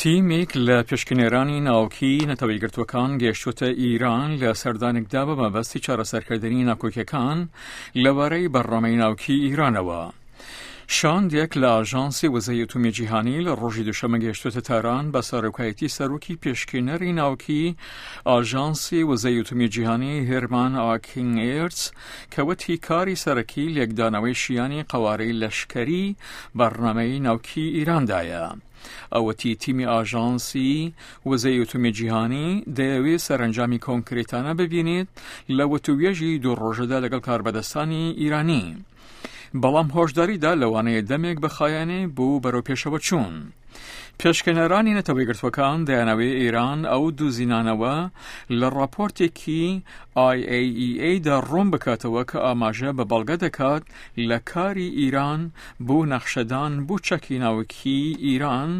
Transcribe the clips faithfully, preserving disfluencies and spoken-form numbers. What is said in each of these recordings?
تیمێک لە پشکنێرانی ناوکی نەتەوە یەکگرتووەکان گەیشتووەتە ئیران لە سەردانێکدا بە مەبەستی چارەسەرکردنی ناکۆکیەکان لەبارەی بەرنامەی ناوکی ئیرانەوە. شاندێک لە ئاژانسی وزەی ئەتۆمی جیهانی لە ڕۆژی دووشەممە گەیشتووەتە تاران بە سەرۆکایەتی سەرۆکی پێشکێنەری ناوکی ئاژانسی وزەی ئەتۆمی جیهانی هێرمان ئاکینگێرتس کە وتی کاری سەرەکی لێکدانەوەی شیانی قەوارەی لەشکەری بەرنامەی ناوکی ئیراندایە. ئەوەتی تیمی ئاژانسی وزەی ئەتۆمی جیهانی دەیەوێت سەرەنجامی کۆنکرێتانە ببینێت لە وتوێژی دوو ڕۆژەدا لەگەڵ کاربەدەستانی ئیرانی. بەڵام هۆشداریدا لەوانەیە دەمێک بخایەنێ بۆ بەرەو پێشەوە چوون. پێشکەنەرانی نەتەوە یەکگرتووەکان دەیانەوێ ئێران ئەو دووزینانەوە لە ڕاپۆرتێکی I A E A دا ڕوون بکاتەوە کە ئاماژە بە بەڵگە دەکات لە کاری ئیران بۆ نەخشەدان بۆ چەکی ناوکی ئیران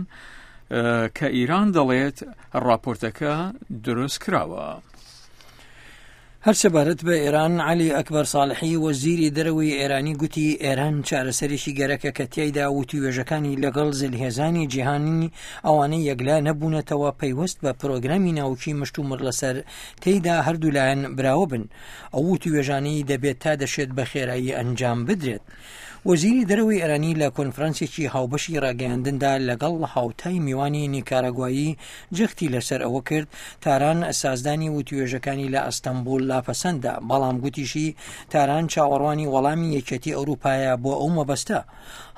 کە ئیران دەڵێت ڕاپۆرتەکە دروست کراوە. هەر سەبارەت بە ئێران، عەلی ئەکبەر ساڵحی وەزیری دەرەوەی ئێرانی گوتی ئێران چارەسەرێکی گەرەکە کە تیایدا وتوێژەکانی لەگەڵ زلهێزانی جیهانی ئەوانەی یەکلا نەبوونەتەوە پەیوەست بە پرۆگرامی ناوکی مشتومڕ لەسەر تێیدا هەردوو لایەن براوە بن. ئەو وتوێژانەی دەبێت تا دەشێت بە خێرایی ئەنجام بدرێت. وەزیری دەرەوەی ئێرانی لە کۆنفرانسێکی هاوبەشی ڕاگەیاندندا لەگەڵ هاوتای میوانی نیکاراگوایی جەختی لەسەر ئەوە کرد تاران سازدانی وتوێژەکانی لە ئەستەنبوڵ لاپەسەندە، بەڵام گوتیشی تاران چاوەڕوانی وەڵامی یەکێتی ئەوروپایە بۆ ئەو مەبەستە.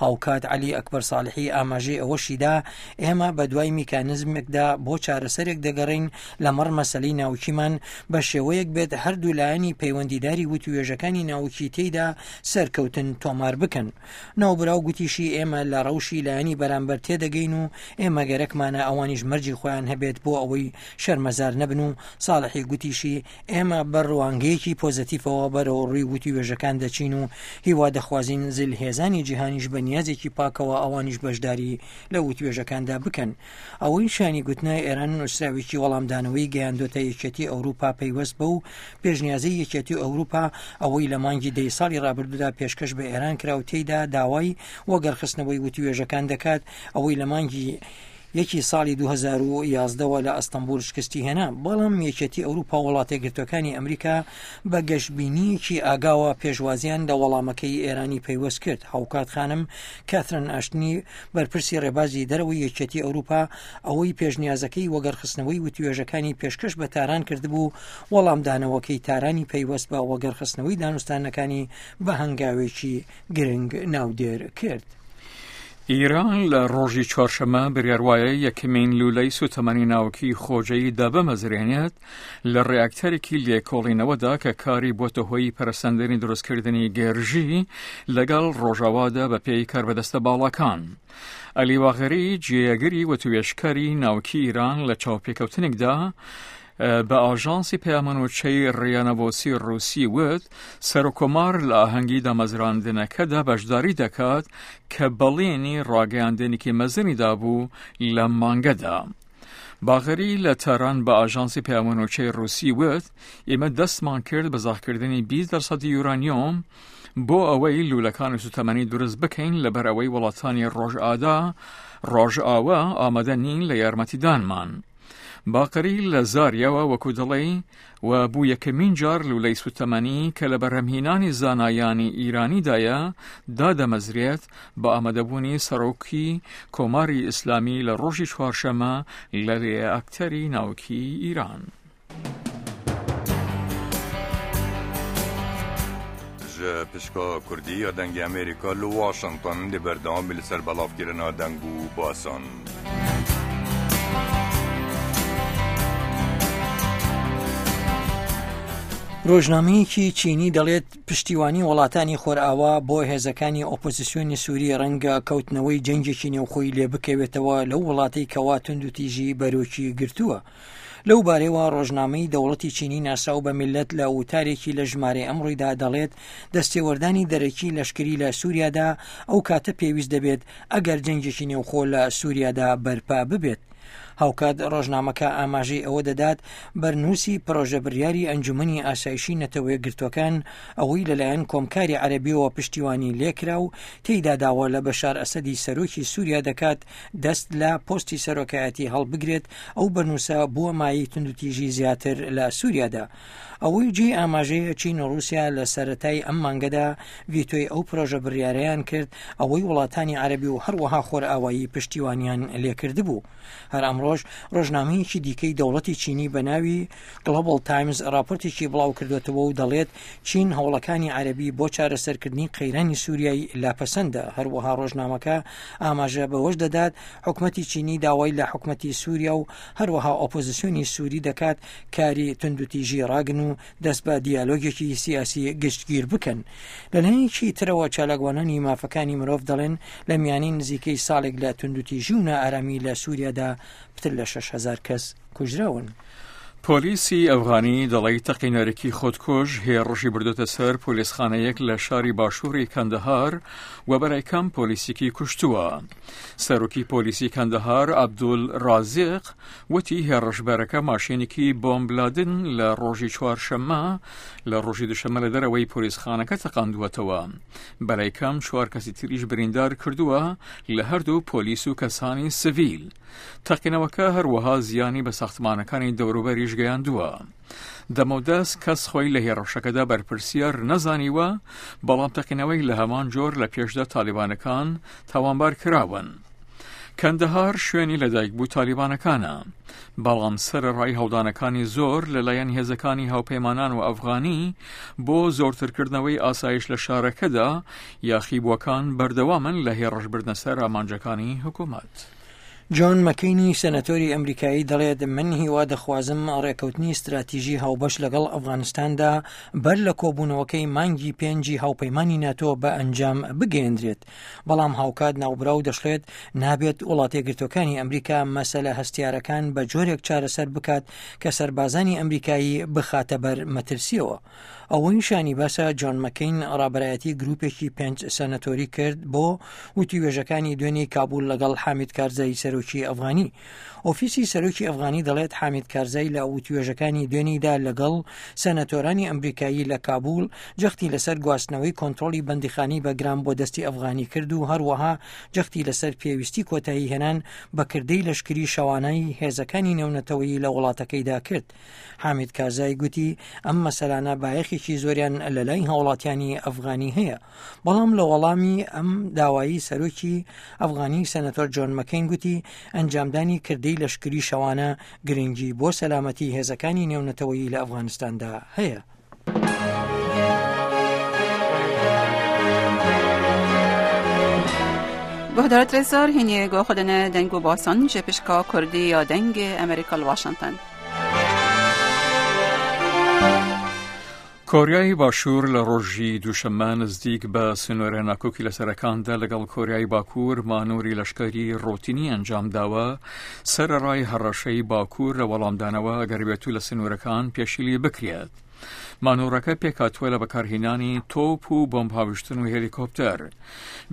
هاوکات عەلی ئەکبەر ساڵحی ئاماژەی ئەوەشیدا ئێمە بە دوای میکانزمێکدا بۆ چارەسەرێک دەگەڕین لەمەڕ مەسەلەی ناوکیمان بە شێوەیەک بێت هەردوو لایەنی پەیوەندیداری وتوێژەکانی ناوکی تێیدا سەرکەوتن تۆمار بکەن. ناوبراو گوتیشی ئێمە لە ڕەوشی لایەنی بەرامبەر تێدەگەین و ئێمە گەرەکمانە ئەوانیش مەرجی خۆیان هەبێت بۆ ئەوەی شەرمەزار نەبن و ساڵحی گوتیشی ئێمە بە ڕوانگەیەکی پۆزەتیفەوە بەرەو ڕووی وتوێژەکان دەچین و هیوا دەخوازین زلهێزانی جیهانیش بە نیازێکی پاکەوە ئەوانیش بەشداری لە وتوێژەکاندا بکەن. ئەوەی شانی گوتنە ئێران نووسراوێکی وەڵامدانەوەی گەیاندۆتە یەکێتی ئەوروپا پەیوەست بەو پێشنیازەی یەکێتی ئەوروپا ئەوەی لە مانگی دەی ساڵی ڕابردوودا پێشکەش بە ئێران کرا و تێیدا داوای وەگەرخستنەوەی وتوێژەکان دەکات ئەوەی لە مانگی یەکی ساڵی دوو هەزار و یازدە وە لە ئەستەنبوڵ شکستی هێنا، بەڵام یەکێتی ئەوروپا و وڵاتەیەکگرتووەکانی ئەمریکا بە گەشبینییەکی ئاگاوە پێشوازیان لە وەڵامەکەی ئێرانی پەیوەست کرد. هاوکات خانم کاترن ئاشتنی بەرپرسی ڕێبازی دەرەوەی یەکێتی ئەوروپا ئەوەی پێشنیازەکەی وەگەرخستنەوەی وتوێژەکانی پێشکەش بە تاران کردبوو، وەڵامدانەوەکەی تارانی پەیوەست بە وەگەرخستنەوەی دانوستانەکانی بە هەنگاوێکی گرنگ ناودێر کرد. ئیران لە ڕۆژی چوارشەممە بڕیار وایە یەکەمین لولەی سوتەمەنی ناوکی خۆجێی دابمەزرێنێت لە ڕێاکتەرێکی لێکۆڵینەوەدا کە کاری بۆتە هۆی پەرەسەندنی دروستکردنی گێرژی لەگەڵ ڕۆژاوادا بە پێی کاربەدەستە باڵاکان. عەلی باغری جێگری وتوێژکاری ناوکی ئیران لە چاوپێکەوتنێکدا بە ئاژانسی پەیامەنوچەی ڕیانەڤۆسی ڕووسی وت سەرۆکۆمار لە ئاهەنگی دامەزراندنەکەدا بەشداری دەکات کە بەڵێنی ڕاگەیاندنێکی مەزنی دابوو لە مانگەدا. باغری لە تاران بە ئاژانسی پەیامەنوچەی ڕووسی وت ئێمە دەستمان کرد بە زاخکردنی بیست دەرسەدی یورانیۆم بۆ ئەوەی لولەکانی سوتەمەنی دروست بکەین لەبەر ئەوەی وڵاتانی ڕۆژئادا ڕۆژئاوا ئامادە نین لە یارمەتیدانمان. باقری لە زاریەوە وەکو دڵی و بوو یەکەمین جار لولەی سوتەمەنی کە لە بەرهەمهێنانی زانایانی ئیرانیدایە دادەمەزرێت بە ئامادەبوونی سەرۆکی کۆماری ئیسلامی لە ڕۆژی چوارشەممە لە ڕێئاکتەری ناوکی ئیران. پشکا کوردی یا دەنگی ئەمریکا لە واشنگتن دی بەردەوام بی لەسەر بەڵاوکردنا دەنگ و باسان. ڕۆژنامەیەکی چینی دەڵێت پشتیوانی وڵاتانی خۆرئاوا بۆ هێزەکانی ئۆپۆزیسیۆنی سووری ڕەنگە کەوتنەوەی جەنگێکی نێوخۆی لێ بکەوێتەوە لەو وڵاتەی کەوا توندوتیژی بەرۆکی گرتووە. لەو بارەیەوە ڕۆژنامەی دەوڵەتی چینی ناسراو بە میللەت لە وتارێکی لە ژمارەی ئەمڕۆیدا دەڵێت دەستێوەردانی دەرەکی لەشکری لە سووریادا ئەو کاتە پێویست دەبێت ئەگەر جەنگێکی نێوخۆ لە سووریادا بەرپا ببێت. هاوکات ڕۆژنامەکە ئاماژەی ئەوە دەدات بەرنووسی پرۆژە بڕیاری ئەنجومەنی ئاسایشی نەتەوەیەکگرتووەکان ئەوەی لەلایەن کۆمکاری عەرەبیەوە پشتیوانی لێکرا و تێیدا داوا لە بەشار ئەسەدی سەرۆکی سووریا دەکات دەست لە پۆستی سەرۆکایەتی هەڵبگرێت. ئەو بەرنووسە بووە مایەی توندوتیژی زیاتر لە سووریادا. ئەوەی جێی ئاماژەیە چین و ڕووسیا لە سەرەتای ئەم مانگەدا ڤیتۆی ئەو پرۆژە بڕیارەیان کرد ئەوەی وڵاتانی عەرەبی و هەروەها خۆرئاوایی پشتیوانیان لێکردبوو. هەر ئەمڕۆژ ڕۆژنامەیەکی دیکەی دەوڵەتی چینی بە ناوی گلۆبال تایمز راپۆرتێکی بڵاو کردوێتەوە و دەڵێت چین هەوڵەکانی عەرەبی بۆ چارەسەرکردنی قەیرانی سووریای لاپەسەندە. هەروەها ڕۆژنامەکە ئاماژە بەوەش دەدات حکومەتی چینی داوای لە حکومەتی سووریا و هەروەها ئۆپۆزیسیۆنی سووری دەکات کاری توندوتیژی ڕاگن و دەست بە دیالۆگێکی سیاسی گشتگیر بکەن. لەلایەکی ترەوە چالاکوانانی مافەکانی مرۆڤ دەڵێن لە میانی نزیکەی ساڵێک لە توندوتیژی و نائارامی لە سووریادا پتر لە شەش هەزار کەس کوژراون. پۆلیسی ئەفغانی دەڵێت تەقینەرێکی خۆدکوژ هێڕشی بردوتە سەر پۆلیسخانەیەک لە شاری باشووری کەندەهار و بەرای کەم پۆلیسێکی کوشتووە. سەرۆکی پۆلیسی کەندەهار عەبدول ڕازیق وتی هێڕشبەرەکە ماشینێکی بۆمبلادن لە ڕۆژی چوارشەممە لە ڕۆژی دوشەممە لە دەرەوەی پۆلیسخانەکە تەقاندووەتەوە. بەرای کەم چوار کەسی تریش بریندار کردووە لە هەردوو پۆلیس و کەسانی سڤیل. تەقینەوەکە هەروەها زیانی بە ساختمانەکانی دەوروبەریش گەیاندووە. دەمەودەست کەس خۆی لە هێڕشەکەدا بەرپرسیار نەزانیوە، بەڵام تەقینەوەی لە هەمان جۆر لە پێشدا تالیبانەکان تاوانبار کراون. کەندەهار شوێنی لەدایکبوو تالیبانەکانە، بەڵام سەرەڕای هەڵدانەکانی زۆر لەلایەن هێزەکانی هاوپەیمانان و ئەفغانی بۆ زۆرترکردنەوەی ئاسایش لە شارەکەدا، یاخیبووەکان بەردەوامن لە هێڕشبردنە سەر ئامانجەکانی حکوومەت. جۆن مەکەینی سەنەتۆری ئەمریکایی دەڵێت من هیوا دەخوازم ڕێکەوتنی استراتیژی هاوبەش لەگەڵ ئەفغانستاندا بەر لە کۆبوونەوەکەی مانگی پێنجی هاوپەیمانی ناتۆ بە ئەنجام بگەیەندرێت. بەڵام هاوکات ناوبراو دەشڵێت نابێت وڵاتەیەکگرتووەکانی ئەمریکا مەسەلە هەستیارەکان بە جۆرێک چارەسەر بکات کە سەربازانی ئەمریکایی بخاتە بەر مەترسیەوە. ئەوەی شانی باسە جۆن مەکەین ڕابەرایەتی گروپێکی پێنج سەنەتۆری کرد بۆ وتوێژەکانی دوێنێی کابول لەگەڵ حامید کارزای سەرۆکی ئەفغانی. ئۆفیسی سەرۆکی ئەفغانی دەڵێت حامید کارزای لە وتوێژەکانی دوێنیدا لەگەڵ سەنەتۆرانی ئەمریکایی لە کابول جەختی لەسەر گواستنەوەی کۆنترۆڵی بەندیخانی بەگرام بۆ دەستی ئەفغانی کرد و هەروەها جەختی لەسەر پێویستی کۆتایی هێنان بە کردەی لەشکری شەوانەی هێزەکانی نێونەتەوەیی لە وڵاتەکەیدا کرد. حامید کارزای گوتی ئەم مەسەلانە بایەخێکی زۆریان لەلای هاوڵاتیانی ئەفغانی هەیە. بەڵام لە وەڵامی ئەم داوایی سەرۆکی ئەفغانی سەنەتۆر جۆن مەکەین گوتی ئەنجامدانی کردەی لەشکری شەوانە گرنگی بۆ سەلامەتی هێزەکانی نێونەتەوەیی لە ئەفغانستاندا هەیە. گهدارت رزار هینی گو خودن دنگ و باسان جپشکا کردی یا دنگ امریکا واشنگتن. کۆریای باشوور لە ڕۆژی دووشەممە نزدیک بە سنوورە ناکۆکی لەسەرەکاندا لەگەڵ کۆریای باکوور مانۆری لەشکری ڕۆتینی ئەنجام داوە، سەرەڕای هەڕەشەی باکوور لە وەڵامدانەوە ئەگەر بێتو لە سنوورەکان پێشیلی بکرێت. مانۆڕەکە پێکهاتووە لە بەکارهێنانی تۆپ و بۆمب هاویشتن و هێلیکۆپتەر.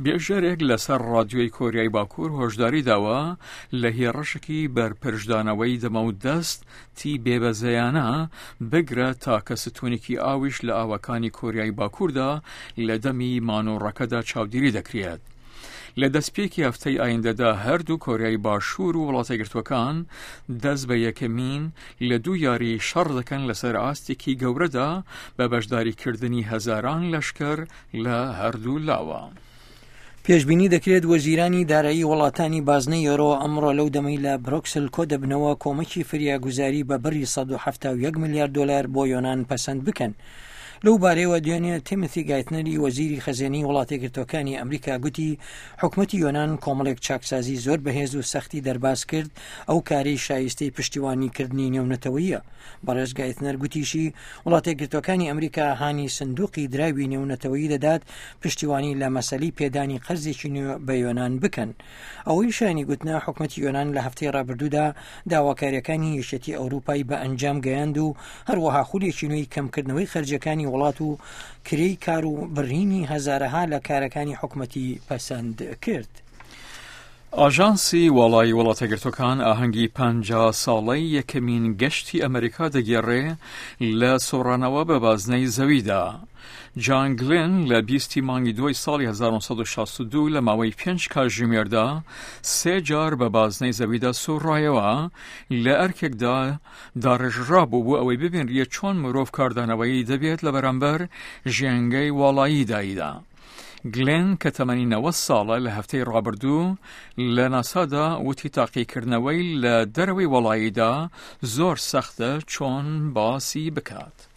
بێژەرێک لەسەر ڕادیۆی کۆریای باکوور هۆشداری داوە لە هێڕشێکی بەرپەرچدانەوەی دەمە و دەست تی بێبەزەیانە بگرە تاکە ستونێکی ئاویش لە ئاوەکانی کۆریای باکووردا لە دەمی مانۆڕەکەدا چاودێری دەکرێت. لە دەستپێکی هەفتەی ئایندەدا هەردوو کۆریای باشوور و وڵاتەیەکگرتووەکان دەست بە یەکەمین لە دوو یاری شەڕ دەکەن لەسەر ئاستێکی گەورەدا بە بەشداریکردنی هەزاران لەشکر لە هەردوو لاوە. پێشبینی دەکرێت وەزیرانی دارایی وڵاتانی بازنەی یۆرۆ ئەمڕۆ لەو دەمەی لە برۆکسل کۆ دەبنەوە کۆمەکی فریاگوزاری بە بڕی سەد و حەفتا و یەک ملیار دلار بۆ یۆنان پەسەند بکەن. لەو بارەیەوە دوێنێ تیمۆثی گایتنەری وەزیری خەزێنەی وڵاتەیەکگرتووەکانی ئەمریکا گوتی حکومەتی یۆنان کۆمەڵێک چاکسازی زۆر بەهێز و سەختی دەرباز کرد، ئەو کارەی شایستەی پشتیوانیکردنی نێونەتەوەیە. بەڕێز گایتنەر گوتیشی وڵاتەیەکگرتووەکانی ئەمریکا هانی سندوقی دراوی نێونەتەوەیی دەدات پشتیوانی لە مەسەلەی پێدانی قەرزێکی نوێ بە یۆنان بکەن. ئەوەی شایانی گوتنە حکومەتی یۆنان لە هەفتەی ڕابردوودا داواکاریەکانی یەکێتی ئەوروپای بە ئەنجام گەیاند و هەروەها خولێکی نوێی کەمکردنەوەی خەرجەکانی وڵات و کرێی کار و بڕینی هەزارەها لە کارەکانی حکومەتی پەسەند کرد. ئاژانسی واڵایی وڵاتەگرتوەکان ئاهەنگی پەنجا ساڵەی یەکەمین گەشتی ئەمریکا دەگێڕێ لە سوڕانەوە بە بازنەی زەویدا. جان گلێن لە بیستی مانگی دوای ساڵی هەزار و نۆ سەد و شەست و دوو لە ماوەی پێنج کاتژمێردا سێ جار بە بازنەی زەویدا سوڕایەوە، لە ئەرکێکدا داڕێژرابوو بۆ ئەوەی ببینرێت چۆن مرۆڤ کاردانەوەی دەبێت لە بەرامبەر ژینگەی واڵاییدایدا. گلێن کە تەمەنی نەوەد ساڵە لە هەفتەی ڕابردوو لە ناسادا وتی تاقیکردنەوەی لە دەرەوەی وەڵاییدا زۆر سەختە چۆن باسی بکات.